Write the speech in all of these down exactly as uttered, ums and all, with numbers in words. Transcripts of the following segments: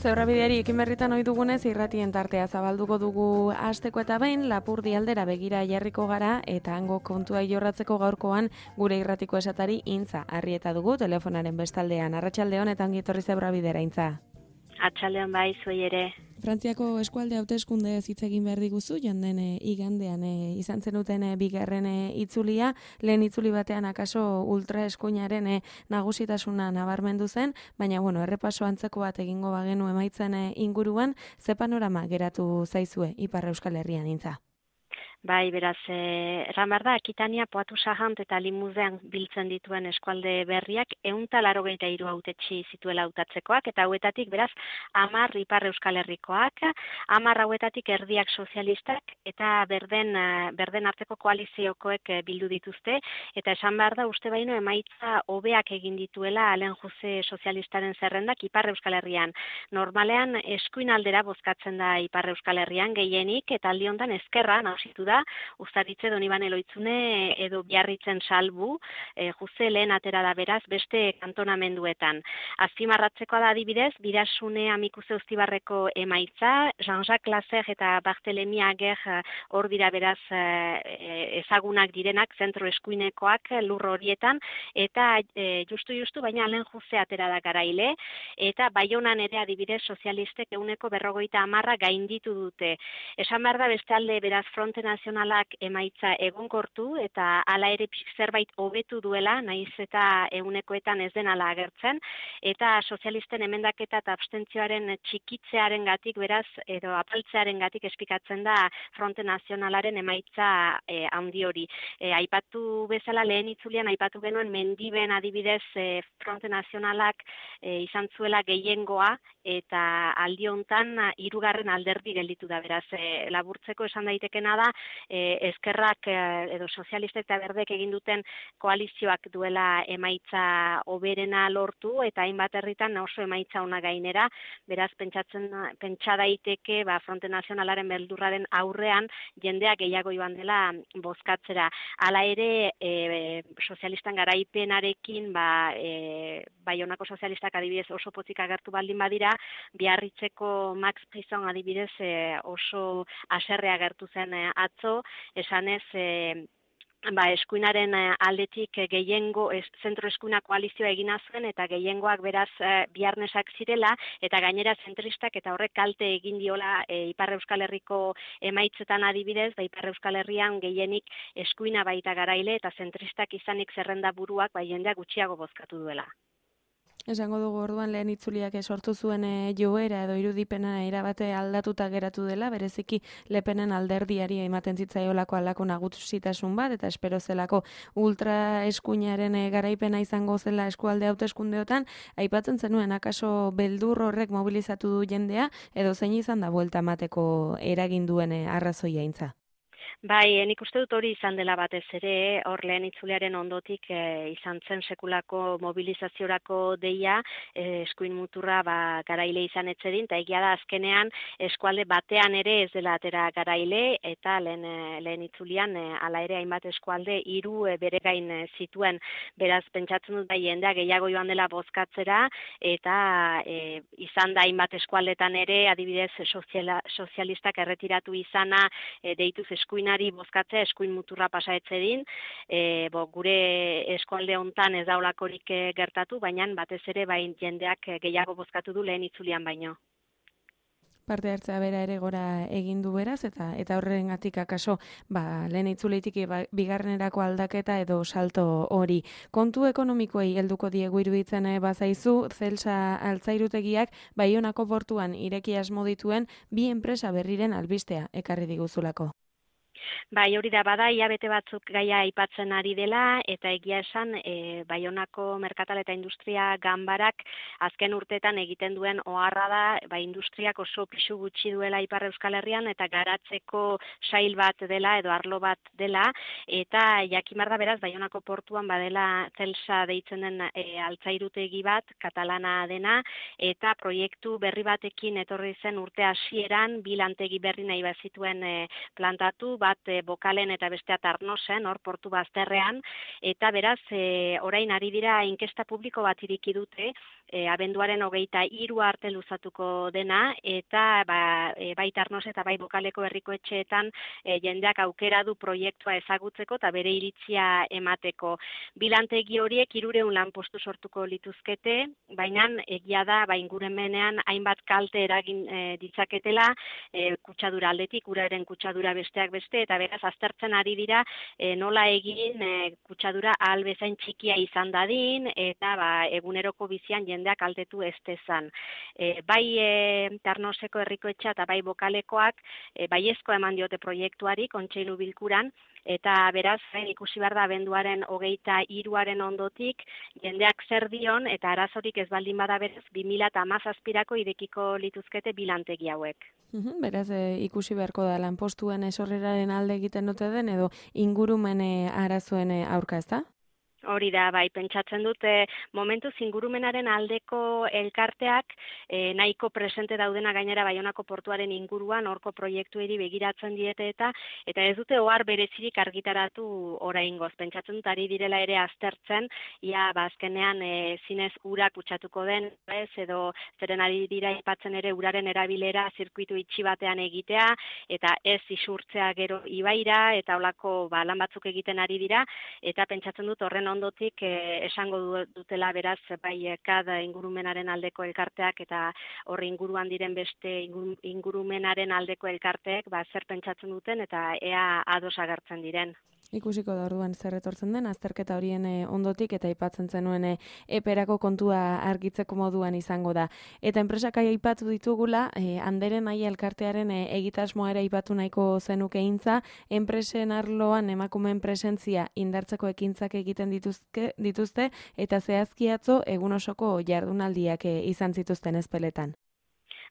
Zebrabideari ekin berritan ohi dugunez irratien tartea zabalduko dugu hasteko eta behin Lapurdi aldera begira jarriko gara eta hango kontua jorratzeko gaurkoan gure irratiko esatari Intza Arrieta dugu telefonaren bestaldean. Arratsaldeon eta ongi etorri Zebrabidera Intza. Atxaldeon bai, zuei ere. Frantziako eskualde hauteskunde hitz egin behar diguzu, joan den e, igandean e, izan zenuten e, bigarren e, itzulia, lehen itzuli batean akaso ultraeskuinaren e, nagusitasuna nabarmendu zen, baina bueno, errepaso antzeko bat egingo bagenu emaitzen e, inguruan, ze panorama geratu zaizue Ipar Euskal Herrian Intza? Bai, beraz, eh, erran behar da, Akitania, Poatu Sahant eta Limuzean biltzen dituen eskualde berriak ehunta laurogeita hiru hautetsi zituela hautatzekoak, eta hauetatik, beraz, hamar Ipar Euskal Herrikoak, hamar hauetatik erdiak sozialistak, eta berden, berden arteko koaliziokoek bildu dituzte, eta esan behar da, uste baino emaitza hobeak egin dituela Alen Jose sozialistaren zerrendak Ipar Euskal Herrian. Normalean, eskuin aldera bozkatzen da Ipar Euskal Herrian gehienik, eta aldi hontan ezkerra nausitu da, Uztaritze Donibane Loitzune edo Biarritzen Salbu, e, Jose lehen atera da beraz beste kantonamenduetan. Azpimarratzekoa da adibidez, Birasune Amikuze Uztibarreko emaitza, Jean-Jacques Lasser eta Barthelemy Ager hor dira beraz e, ezagunak direnak, zentro eskuinekoak lur horietan, eta e, justu-justu baina Alen Jose atera da garaile, eta Baionan ere adibidez sozialistek ehuneko berrogeita hamarra gainditu dute. Esan behar da beste alde beraz Fronte Nazionalak emaitza egonkortu eta hala ere zerbait hobetu duela, naiz eta ehunekoetan ez den ala agertzen, eta sozialisten emendaketa eta abstentzioaren txikitzearen gatik, beraz, edo apaltzearen gatik espikatzen da Fronte Nazionalaren emaitza e, handi hori. E, aipatu bezala lehen itzulian, aipatu genuen mendiben adibidez e, Fronte Nazionalak e, izan zuela gehiengoa, eta aldi hontan hirugarren alderdi gelditu da, beraz, e, laburtzeko esan daitekena da, e, eskerrak e, edo sozialistek eta berdek egin duten koalizioak duela emaitza hoberena lortu, eta hainbat herritan oso emaitza ona gainera, beraz, pentsatzen, pentsa daiteke, ba, Fronte Nazionalaren beldurraren aurrean, jendeak gehiago joan dela bozkatzera. Hala ere, e, sozialistan garaipenarekin, ba, e, Baionako sozialistak adibidez oso pozik agertu baldin badira, Biarritzeko Max Prison adibidez e, oso haserre agertu zen e, atzo, esanez e, ba, eskuinaren aldetik gehiengo, es, zentro eskuina koalizioa egina zuen, eta gehiengoak beraz e, biarnesak zirela, eta gainera zentristak eta horrek kalte egin diola e, Ipar Euskal Herriko emaitzetan adibidez, ba, Ipar Euskal Herrian gehienik eskuina baita garaile, eta zentristak izanik zerrenda buruak, ba, jendeak gutxiago bozkatu duela. Esango dugu orduan lehen itzuliak sortu zuen e, joera edo irudipena erabate aldatuta geratu dela, bereziki Lepenen alderdiari ematen zitzaiolako aldako nagusitasun bat, eta espero zelako ultra eskuinaren e, garaipena izango zela eskualde hauteskundeotan, aipatzen zenuen akaso beldur horrek mobilizatu du jendea, edo zein izan da buelta emateko eragin duen e, arrazoia Intza? Bai, nik uste dut hori izan dela batez ere, hor lehen itzuliaren ondotik e, izan zen sekulako mobilizaziorako deia, e, eskuin muturra ba, garaile izan etzedin, eta egia da azkenean eskualde batean ere ez dela atera garaile, eta lehen, e, lehen itzulian e, ala ere hainbat eskualde hiru e, bere gain e, zituen, beraz pentsatzen dut bai jendea gehiago joan dela bozkatzera, eta e, izan da hainbat eskualdetan ere, adibidez soziala, sozialistak erretiratu izana, e, deituz eskuina bozkatzea eskuin muturra pasa etzedin, e, bo, gure eskualde hontan ez daulakorik gertatu, baina batez ere bain jendeak gehiago bozkatu du lehen itzulian baino. Parte hartzea bera ere gora egin du beraz, eta eta horrengatik akaso ba, lehen itzuleitik bigarrenerako aldaketa edo salto hori. Kontu ekonomikoei helduko diegu iruditzen bazaizu, Celsa altzairutegiak Baionako portuan ireki asmo dituen bi enpresa berriren albistea ekarri diguzulako. Bai, hori da bada, hilabete batzuk gaia aipatzen ari dela, eta egia esan, e, Baionako Merkatal eta Industria Ganbarak azken urteetan egiten duen oharra da, ba, industriak oso pisu gutxi duela Ipar Euskal Herrian, eta garatzeko sail bat dela, edo arlo bat dela, eta jakimar da beraz, Baionako portuan badela Celsa deitzen den e, altzairutegi bat, katalana dena, eta proiektu berri batekin etorri zen urte hasieran, bi lantegi berri nahi bazituen e, plantatu, bat e, Bokalen eta bestea Tarnosen, hor portu bazterrean, eta beraz, e, orain ari dira inkesta publiko bat iriki dute, e, abenduaren hogeita hiru arte luzatuko dena, eta ba, e, bai Tarnos eta bai Bokaleko herriko etxeetan e, jendeak aukera du proiektua ezagutzeko eta bere iritzia emateko. Bilantegi horiek hirureun lanpostu sortuko lituzkete, baina egia da ba, ingurumenean hainbat kalte eragin e, ditzaketela, e, kutsadura aldetik, uraren kutsadura besteak beste, eta beraz aztertzen ari dira e, nola egin e, kutsadura ahal bezain txikia izan dadin, eta ba, eguneroko bizian jendeak aldetu ez dezan. E, bai e, Tarnoseko herriko etxea eta bai Bokalekoak e, baiezko eman diote proiektuari kontseilu bilkuran, eta beraz e, ikusi behar da abenduaren hogeita hiruaren ondotik jendeak zer dion eta arazorik ez baldin bada beraz bi mila hamazazpirako irekiko lituzkete bilantegi hauek. Uhum, beraz, e, ikusi beharko da lanpostuen esorreraren alde egiten dute den edo ingurumen e, arazoen e, aurka, ezta? Hori da, bai, pentsatzen dute momentuz ingurumenaren aldeko elkarteak e, nahiko presente daudena gainera Baionako portuaren inguruan horko proiektueri begiratzen diete eta eta ez dute ohar berezirik argitaratu oraingoz. Pentsatzen dut ari direla ere aztertzen, ia bazkenean e, zinez ura kutsatuko den, ez, edo zeren ari dira aipatzen ere uraren erabilera zirkuitu itxi batean egitea eta ez isurtzea gero ibaira eta holako ba, lan batzuk egiten ari dira eta pentsatzen dut horren ondotik eh, esango dutela beraz bai kada ingurumenaren aldeko elkarteak eta horri inguruan diren beste ingurumenaren aldeko elkarteek ba zer pentsatzen duten eta ea ados agertzen diren. Ikusiko da orduan zer etortzen den azterketa horien e, ondotik eta aipatzen zenuen e, eperako kontua argitzeko moduan izango da. Eta enpresak aipatu ditugula, e, Anderen Aia elkartearen e, egitasmoa ere aipatu nahiko zenuke intza, enpresen arloan emakumeen presentzia indartzeko ekintzak egiten dituzke, dituzte eta zehazki atzo egun osoko jardunaldiak e, izan zituzten ezpeletan.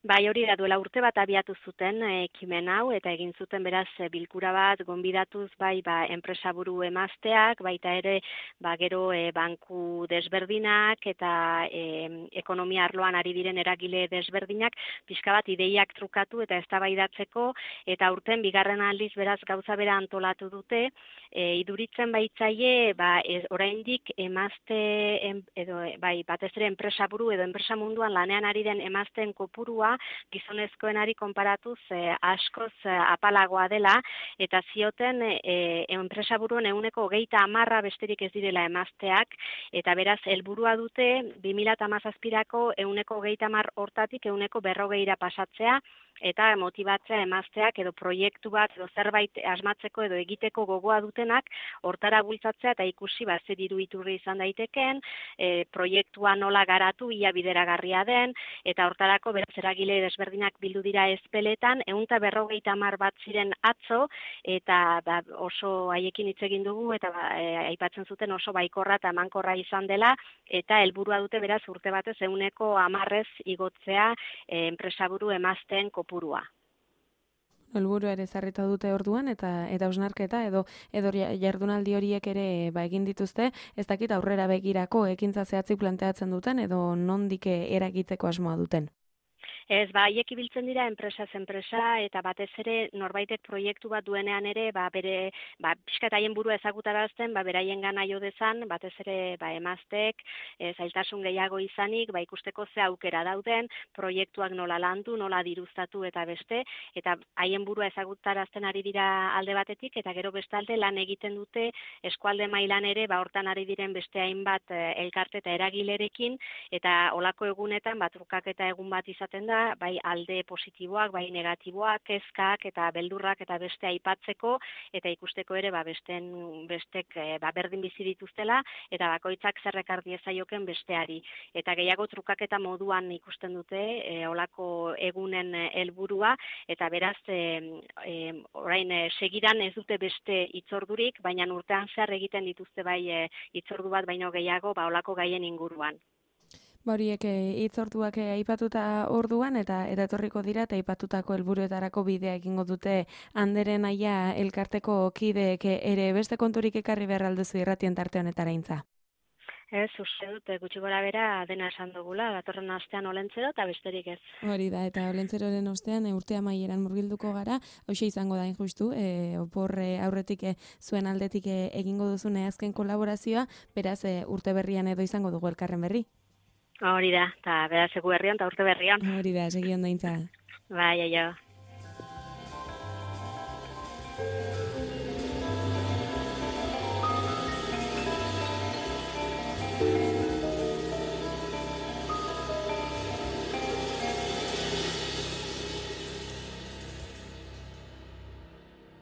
Bai, hori da duela urte bat abiatu zuten ekimen hau eta egin zuten beraz bilkura bat gonbidatuz bai ba enpresaburu emazteak, baita ere ba gero e, banku desberdinak eta e, ekonomia arloan ari diren eragile desberdinak pixka bat ideiak trukatu eta eztabaidatzeko eta urten bigarren aldiz beraz gauza bera antolatu dute, e, iduritzen baitzaie ba ez, oraindik emazte em, edo bai batez ere enpresaburu edo enpresa munduan lanean ari den emazteen kopurua gizonezkoenari konparatuz e, askoz e, apalagoa dela eta zioten e, enpresaburuen ehuneko hogeita hamarra besterik ez direla emazteak eta beraz helburua dute bi mila hamazazpirako ehuneko hogeita hamar hortatik ehuneko berrogeira pasatzea eta motibatzea emazteak edo proiektu bat edo zerbait asmatzeko edo egiteko gogoa dutenak hortara bultzatzea eta ikusi ba zer diru iturri izan daiteken, e, proiektua nola garatu ia bideragarria den eta hortarako beraz eragile desberdinak bildu dira ezpeletan, ehun eta berrogeita hamar bat ziren atzo eta ba, oso haiekin hitz egin dugu eta ba, e, aipatzen zuten oso baikorra eta emankorra izan dela eta helburua dute beraz urte batez ehuneko hamarrez igotzea e, enpresaburu emazteen kopurua. Helburu ere ezarrita dute orduan eta eta hausnarketa edo edo jardunaldi horiek ere ba egin dituzte, ez dakit aurrera begirako ekintza zehatzik planteatzen duten edo nondik eragiteko asmoa duten. Ez, ba, haiek ibiltzen dira enpresaz enpresa eta batez ere norbaitek proiektu bat duenean ere, ba, bere, ba, pixkat haien burua ezagutarazten, ba, beraien gana jo dezan, batez ere, ba, emaztek, e, zailtasun gehiago izanik, ba, ikusteko ze aukera dauden, proiektuak nola landu, nola diruztatu eta beste, eta haien burua ezagutarazten ari dira alde batetik, eta gero bestalde lan egiten dute eskualde mailan ere, ba, hortan ari diren beste hainbat e, elkarte eta eragilerekin, eta olako egunetan, ba, trukak eta egun bat izaten da, bai alde positiboak, bai negatiboak, kezkak eta beldurrak eta beste aipatzeko eta ikusteko ere ba besten bestek ba berdin bizi dituztela eta bakoitzak zer ekar diezaioken besteari eta gehiago trukaketa moduan ikusten dute e, olako egunen helburua eta beraz e, e, orain e, segidan ez dute beste hitzordurik, baina urtean zer egiten dituzte bai e, hitzordu bat baino gehiago ba olako gaien inguruan. Ba horiek hitzorduak aipatuta orduan eta eta etorriko dira eta aipatutako helburuetarako bidea egingo dute Anderen Aia elkarteko kideek ere beste konturik ekarri behar alduzu irratien tarte honetara intza. Ez, uste dut, gutxi gora bera dena esan dugula, datorren astean olentzero eta besterik ez. Hori da, eta olentzeroren ostean urte amaieran murgilduko gara, hoxe izango da injustu, e, opor e, aurretik e, zuen aldetik e, egingo duzune azken kolaborazioa, beraz e, urte berrian edo izango dugu elkarren berri. Hori da, eta beraz egu berrion, eta urte berrion. Hori da, segi ondo intza. Bai, aio.